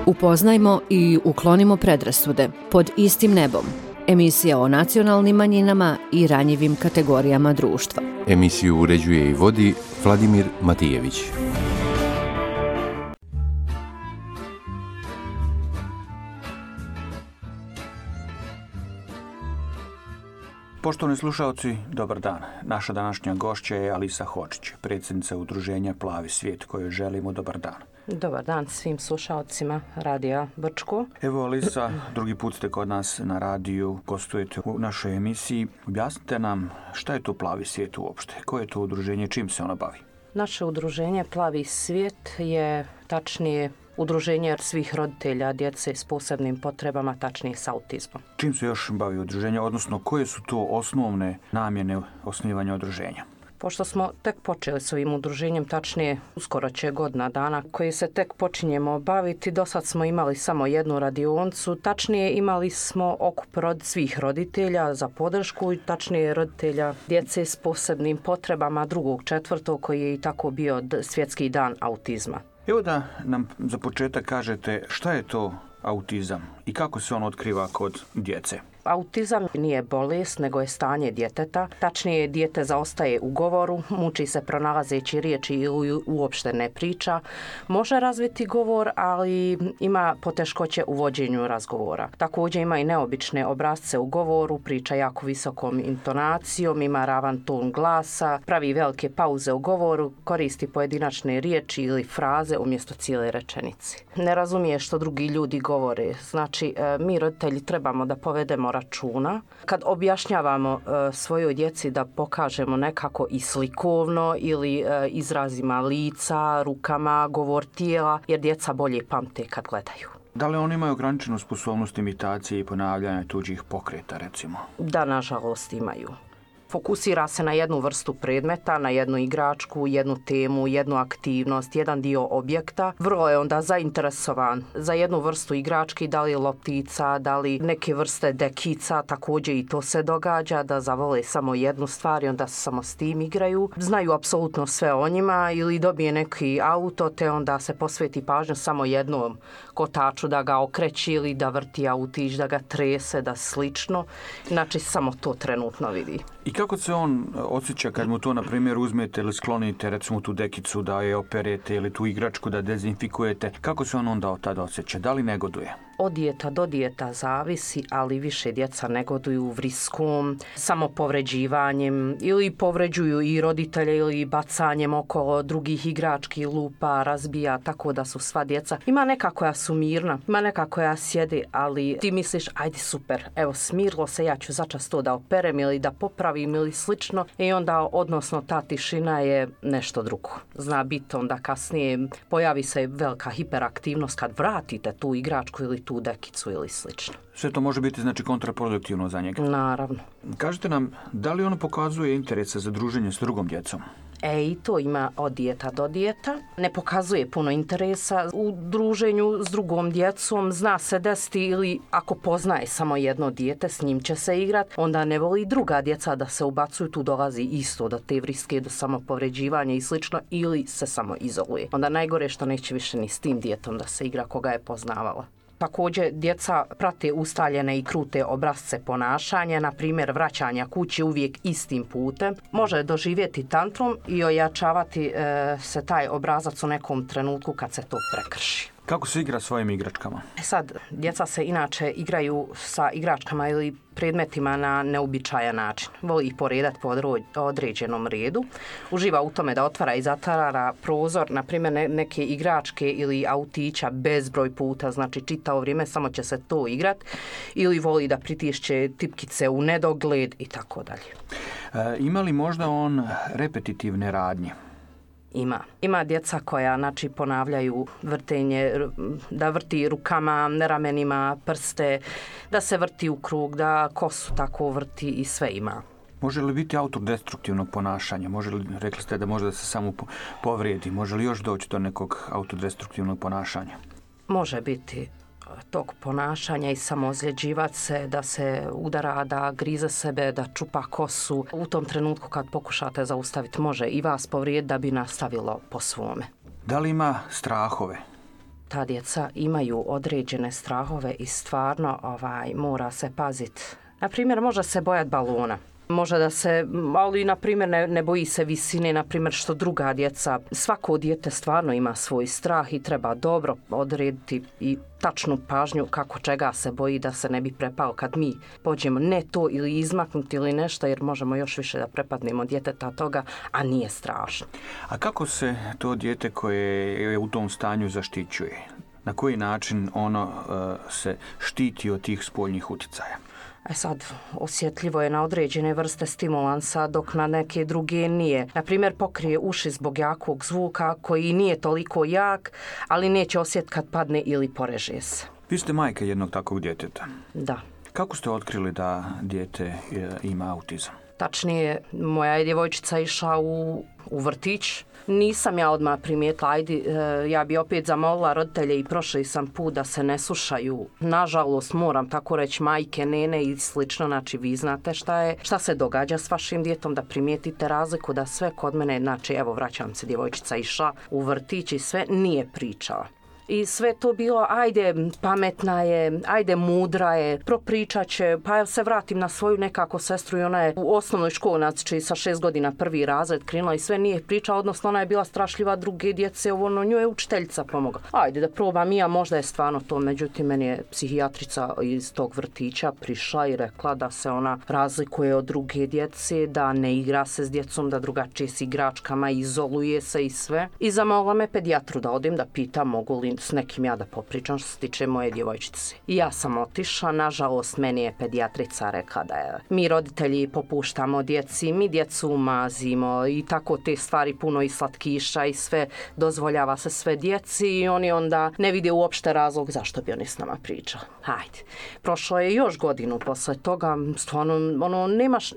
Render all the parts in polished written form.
Upoznajmo i uklonimo predrasude pod istim nebom. Emisija o nacionalnim manjinama i ranjivim kategorijama društva. Emisiju uređuje i vodi Vladimir Matijević. Poštovani slušalci, dobar dan. Naša današnja gošća je Alisa Hodžić, predsjednica udruženja Plavi svijet, kojoj želimo dobar dan. Dobar dan svim slušalcima Radija Brčko. Evo Alisa, drugi put ste kod nas na radiju, gostujete u našoj emisiji. Objasnite nam šta je to Plavi svijet uopšte, koje je to udruženje, čim se ono bavi? Naše udruženje Plavi svijet je tačnije udruženje svih roditelja djece s posebnim potrebama, tačnije s autizmom. Čim se još bavi udruženje, odnosno koje su to osnovne namjene osnivanja udruženja? Pošto smo tek počeli s ovim udruženjem, tačnije uskoro će godina dana koji se tek počinjemo baviti, do sad smo imali samo jednu radioncu, tačnije imali smo okup svih roditelja za podršku i tačnije roditelja djece s posebnim potrebama 2.4. koji je i tako bio svjetski dan autizma. Evo da nam za početak kažete šta je to autizam i kako se on otkriva kod djece. Autizam nije bolest, nego je stanje djeteta. Tačnije, dijete zaostaje u govoru, muči se pronalazeći riječi ili uopšte ne priča. Može razviti govor, ali ima poteškoće u vođenju razgovora. Također ima i neobične obrasce u govoru, priča jako visokom intonacijom, ima ravan ton glasa, pravi velike pauze u govoru, koristi pojedinačne riječi ili fraze umjesto cijele rečenice. Ne razumije što drugi ljudi govore. Znači, mi roditelji trebamo da povedemo računa. Kad objašnjavamo svojoj djeci da pokažemo nekako i slikovno ili izrazima lica, rukama, govor tijela, jer djeca bolje pamte kad gledaju. Da li oni imaju ograničenu sposobnost imitacije i ponavljanja tuđih pokreta, recimo? Da, nažalost imaju. Fokusira se na jednu vrstu predmeta, na jednu igračku, jednu temu, jednu aktivnost, jedan dio objekta. Vrlo je onda zainteresovan za jednu vrstu igrački, da li loptica, da li neke vrste dekica, također i to se događa, da zavole samo jednu stvar i onda samo s tim igraju. Znaju apsolutno sve o njima ili dobije neki auto, te onda se posveti pažnju samo jednom kotaču da ga okreći ili da vrti autić, da ga trese, da slično. Znači samo to trenutno vidi. I kako se on osjeća kad mu to, na primjer, uzmete ili sklonite, recimo tu dekicu da je operete ili tu igračku da dezinfikujete, kako se on onda tada osjeća? Da li negoduje? Od dijeta do dijeta zavisi, ali više djeca negoduju vriskom, samopovređivanjem ili povređuju i roditelje ili bacanjem okolo drugih igrački, lupa, razbija, tako da su sva djeca. Ima neka koja su mirna, ima neka koja sjede, ali ti misliš, ajde super, evo smirilo se, ja ću začas to da operem ili da popravim ili slično i onda odnosno ta tišina je nešto drugo. Zna biti onda kasnije pojavi se velika hiperaktivnost kad vratite tu igračku ili tu dekicu ili slično. Sve to može biti znači kontraproduktivno za njega. Naravno. Kažite nam, da li ono pokazuje interese za druženje s drugom djecom? I to ima od dijeta do dijeta. Ne pokazuje puno interesa u druženju s drugom djecom. Zna se desiti ili ako poznaje samo jedno dijete, s njim će se igrat, onda ne voli druga djeca da se ubacuju. Tu dolazi isto do te vriske, do samopovređivanja i slično, ili se samo izoluje. Onda najgore što neće više ni s tim djetom da se igra koga je poznavala. Također, djeca prate ustaljene i krute obrasce ponašanja, na primjer vraćanja kući uvijek istim putem. Može doživjeti tantrum i ojačavati se taj obrazac u nekom trenutku kad se to prekrši. Kako se igra svojim igračkama? Sad, djeca se inače igraju sa igračkama ili predmetima na neobičajan način. Voli ih poredati po određenom redu. Uživa u tome da otvara i zatvara prozor, na primjer neke igračke ili autića bezbroj puta, znači čitavo vrijeme samo će se to igrat. Ili voli da pritišće tipkice u nedogled i tako dalje. Ima li možda on repetitivne radnje? Ima djeca koja ponavljaju vrtenje, da vrti rukama, ramenima, prste, da se vrti u krug, da kosu tako vrti i sve ima. Može li biti autodestruktivnog ponašanja? Rekli ste da može da se samo povrijedi. Može li još doći do nekog autodestruktivnog ponašanja? Može biti tog ponašanja i samoozljeđivati se, da se udara, da grize sebe, da čupa kosu. U tom trenutku kad pokušate zaustaviti, može i vas povrijediti da bi nastavilo po svome. Da li ima strahove? ta djeca imaju određene strahove i stvarno mora se paziti. Na primjer, može se bojati balona. Može da se, ali na primjer ne boji se visine, na primjer što druga djeca. Svako dijete stvarno ima svoj strah i treba dobro odrediti i tačnu pažnju kako čega se boji da se ne bi prepao kad mi pođemo ne to ili izmaknuti ili nešto, jer možemo još više da prepadnemo djeteta toga, a nije strašno. A kako se to dijete koje je u tom stanju zaštićuje? Na koji način ono se štiti od tih spoljnih utjecaja? Sad, osjetljivo je na određene vrste stimulansa, dok na neke druge nije. Naprimjer, pokrije uši zbog jakog zvuka koji nije toliko jak, ali neće osjetiti kad padne ili poreže se. Vi ste majka jednog takvog djeteta. Da. Kako ste otkrili da dijete ima autizam? Tačnije, moja je djevojčica išla u vrtić. Nisam ja odmah primijetila, ja bi opet zamolila roditelje i prošli sam put da se ne slušaju. Nažalost, moram tako reći, majke, nene i slično, znači vi znate šta se događa s vašim djetom, da primijetite razliku, da sve kod mene, znači evo vraćam se, djevojčica išla u vrtić i sve nije pričala. I sve to bilo, ajde, pametna je, ajde, mudra je, propričat će, pa ja se vratim na svoju nekako sestru i ona je u osnovnoj školi, znači sa 6 godina prvi razred krenula i sve nije pričala, odnosno ona je bila strašljiva, druge djece, njoj je učiteljica pomogla. Ajde da probam i ja, možda je stvarno to, međutim, meni je psihijatrica iz tog vrtića prišla i rekla da se ona razlikuje od druge djece, da ne igra se s djecom, da drugačije s igračkama, izoluje se i sve. I zamolila me pedijatru da odim da pitam mogu li s nekim ja da popričam što se tiče moje djevojčice. I ja sam otišla, nažalost meni je pedijatrica rekla da je mi roditelji popuštamo djeci, mi djecu mazimo i tako te stvari, puno i slatkiša i sve, dozvoljava se sve djeci i oni onda ne vide uopšte razlog zašto bi oni s nama pričali. Hajde. Prošlo je još godinu posle toga, stvarno, nemaš,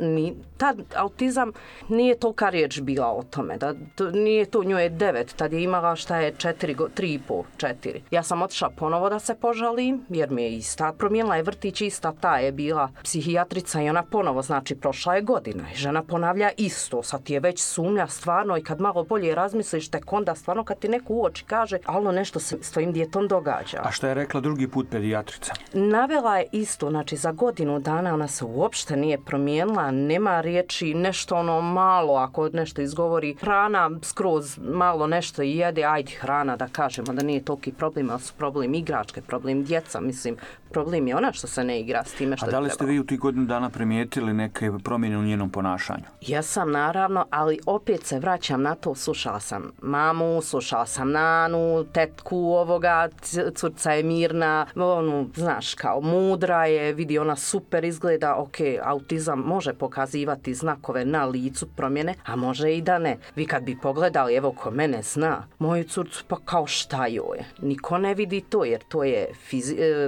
tad autizam nije tolika riječ bila o tome, da nije to, njoj je 9, tad je imala 3,5, 4. Ja sam otišla ponovo da se požalim, jer mi je ista, promijenila je vrtić, ista ta je bila psihijatrica i ona ponovo, znači prošla je godina i žena ponavlja isto, sad ti je već sumnja stvarno i kad malo bolje razmisliš tek onda stvarno kad ti neko u oči kaže alo nešto se s tvojim djetom događa. A šta je rekla drugi put pedijatrica? Navela je isto, znači za godinu dana ona se uopšte nije promijenila, nema riječi, nešto malo, ako nešto izgovori, hrana skroz malo nešto i jede, ajde hrana da kažemo da nije toliki problem, ali su problem igračke, problem djeca, mislim, problem je ona što se ne igra s time što je trebalo. A da li ste vi u tih godinu dana primijetili neke promjene u njenom ponašanju? Jesam, naravno, ali opet se vraćam na to, slušala sam mamu, slušala sam nanu, tetku ovoga, curca je mirna, znaš, kao mudra je, vidi ona super izgleda, ok, autizam može pokazivati znakove na licu promjene, a može i da ne. Vi kad bi pogledali, evo ko mene zna, moju curcu pa kao šta joj je. Niko ne vidi to, jer to je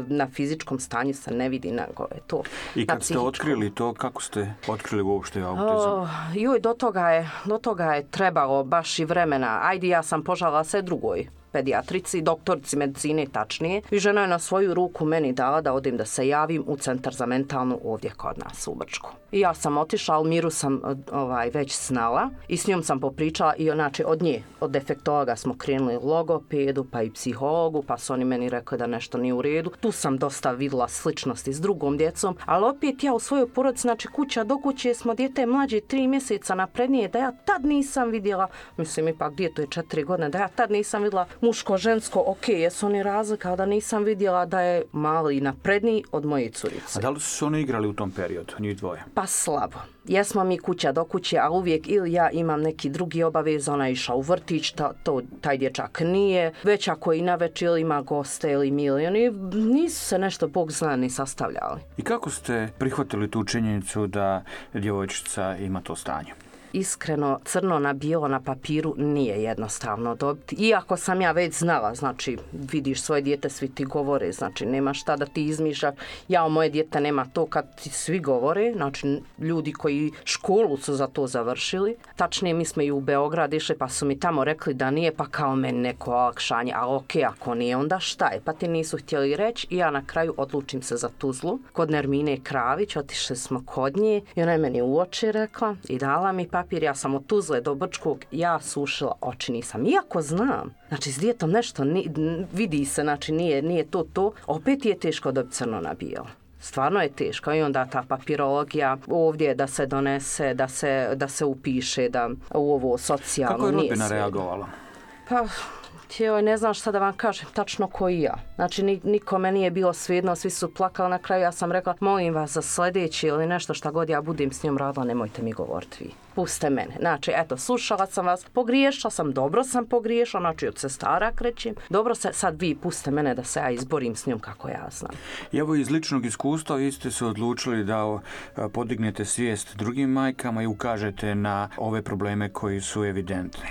na fizičkom stanju se ne vidi, nego je to. I kad ste otkrili to, kako ste otkrili uopšte autizam? Do toga je trebalo baš i vremena. Ajde, ja sam požalila se drugoj pedijatrici, doktorici medicine tačnije. I žena je na svoju ruku meni dala da odim da se javim u centar za mentalnu ovdje kod nas u Brčku. I ja sam otišla, ali Miru sam već znala i s njom sam popričala i znači od nje, od defektologa smo krenuli logopedu, pa i psihologu, pa su oni meni rekli da nešto nije u redu. Tu sam dosta vidjela sličnosti s drugom djecom, ali opet ja u svojoj porodici, znači kuća do kuće smo dijete mlađe 3 mjeseca naprednije, da ja tad nisam vidjela, mislim ipak djeto je 4 godine, da ja tad nisam vidjela muško, žensko, ok, jesu oni razlika, ali da nisam vidjela da je mali napredniji od moje curice. A da li su se oni igrali u tom periodu, njih dvoje? Pa slabo. Jesmo mi kuća do kuće, a uvijek ili ja imam neki drugi obavez, ona je išla u vrtić, taj dječak nije, već ako i navečer ili ima goste ili milioni, nisu se nešto Bog zna ni sastavljali. I kako ste prihvatili tu činjenicu da djevojčica ima to stanje? Iskreno, crno na bijelo na papiru nije jednostavno dobiti. Iako sam ja već znala, znači vidiš svoje dijete, svi ti govore, znači nema šta da ti izmišljaš. Ja, moje dijete nema to kad ti svi govore, znači ljudi koji školu su za to završili. Tačnije, mi smo i u Beograd išli pa su mi tamo rekli da nije, pa kao meni neko olakšanje, ali ok, ako nije, onda šta je? Pa ti nisu htjeli reći i ja na kraju odlučim se za Tuzlu. Kod Nermine Kravić, otišli smo kod nje i ona je meni u oči rekla i dala mi papir, ja sam od Tuzle do Brčkog, ja sušila oči nisam. Iako znam, znači s dijetom nešto vidi se, znači nije to, opet je teško dobiti crno na bijelo. Stvarno je teško i onda ta papirologija ovdje da se donese, da se upiše, da u ovo socijalno. Kako je rodbina reagovala? Pa, ne znam šta da vam kažem, tačno ko i ja. Znači, nikome nije bilo svejedno, svi su plakali. Na kraju ja sam rekla, molim vas za sljedeći ili nešto šta god ja budem s njom radila, nemojte mi govoriti vi. Puste mene. Znači, eto, slušala sam vas, pogriješila sam, dobro sam pogriješila, znači od sestara krećem. Dobro se, sad vi puste mene da se ja izborim s njom kako ja znam. I evo iz ličnog iskustva vi ste se odlučili da podignete svijest drugim majkama i ukažete na ove probleme koji su evidentni.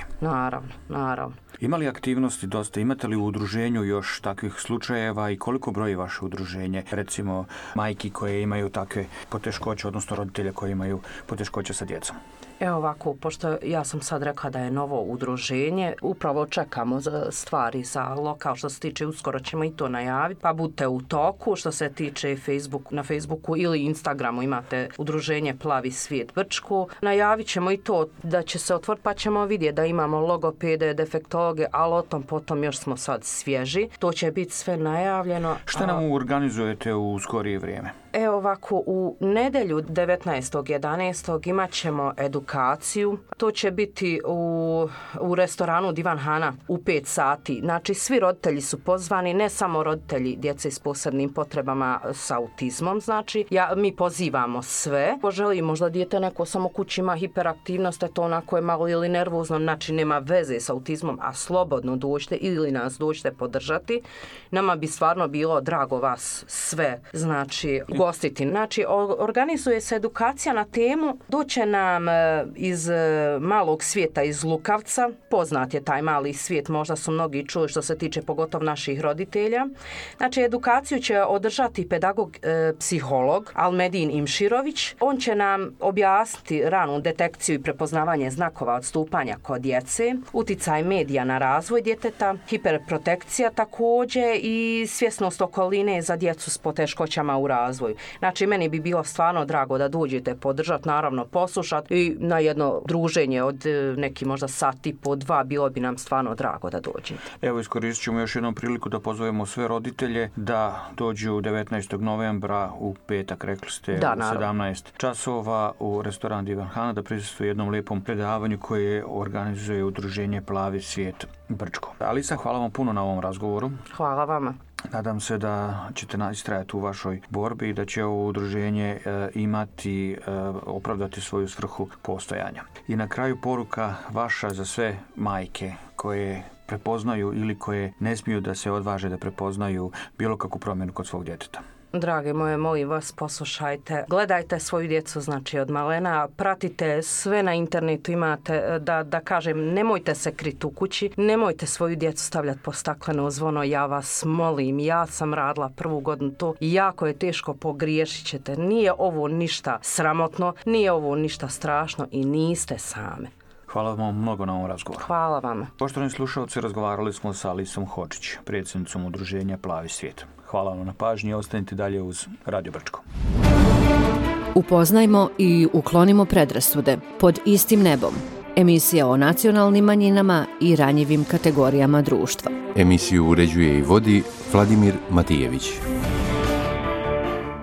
Naravno. Ima li aktivnosti dosta? Imate li u udruženju još takvih slučajeva i koliko broji vaše udruženje? Recimo majki koje imaju takve poteškoće, odnosno roditelje koji imaju poteškoće sa djecom. Evo ovako, pošto ja sam sad rekla da je novo udruženje, upravo čekamo stvari za lokal što se tiče, uskoro ćemo i to najaviti, pa budite u toku. Što se tiče na Facebooku ili Instagramu imate udruženje Plavi svijet Brčko. Najavit ćemo i to da će se otvoriti, pa ćemo vidjeti da imamo logopede, defektologe, ali o tom potom još smo sad svježi. To će biti sve najavljeno. Šta nam organizujete u skorije vrijeme? Evo ovako, u nedjelju 19.11. imat ćemo edukaciju. To će biti u restoranu Divan Hana u 5 sati. Znači, svi roditelji su pozvani, ne samo roditelji djece s posebnim potrebama s autizmom. Znači, mi pozivamo sve. Ko želi, možda dijete neko samo kući ima hiperaktivnost, to onako je malo ili nervozno, znači nema veze s autizmom, a slobodno dođite ili nas dođite podržati. Nama bi stvarno bilo drago vas sve, znači, gostiti. Znači, organizuje se edukacija na temu, doće nam iz malog svijeta, iz Lukavca, poznat je taj mali svijet, možda su mnogi čuli što se tiče pogotovo naših roditelja. Znači, edukaciju će održati pedagog, psiholog Almedin Imširović. On će nam objasniti ranu detekciju i prepoznavanje znakova odstupanja kod djece, uticaj medija na razvoj djeteta, hiperprotekcija također i svjesnost okoline za djecu s poteškoćama u razvoju. Znači, meni bi bilo stvarno drago da dođete podržati, naravno poslušati i na jedno druženje od neki možda sat i po 2, bilo bi nam stvarno drago da dođete. Evo, iskoristit ćemo još jednom priliku da pozovemo sve roditelje da dođu 19. novembra u petak, rekli ste, u 17 časova u restoran Divan Hana da prisustvuju jednom lijepom predavanju koje organizuje udruženje Plavi svijet Brčko. Alisa, hvala vam puno na ovom razgovoru. Hvala vama. Nadam se da ćete istrajati u vašoj borbi i da će ovo udruženje opravdati svoju svrhu postojanja. I na kraju poruka vaša za sve majke koje prepoznaju ili koje ne smiju da se odvaže da prepoznaju bilo kakvu promjenu kod svog djeteta. Drage moje, molim vas, poslušajte, gledajte svoju djecu, znači od malena, pratite sve na internetu, imate, da kažem, nemojte se kriti u kući, nemojte svoju djecu stavljati po stakleno zvono, ja vas molim, ja sam radila 1. godinu to, jako je teško, pogriješit ćete, nije ovo ništa sramotno, nije ovo ništa strašno i niste same. Hvala vam mnogo na ovom razgovoru. Hvala vam. Poštovani slušalci, razgovarali smo sa Alisom Hočić, predsjednicom udruženja Plavi svijet. Hvala vam na pažnji i ostanite dalje uz Radio Brčko. Upoznajmo i uklonimo predrasude pod istim nebom. Emisija o nacionalnim manjinama i ranjivim kategorijama društva. Emisiju uređuje i vodi Vladimir Matijević.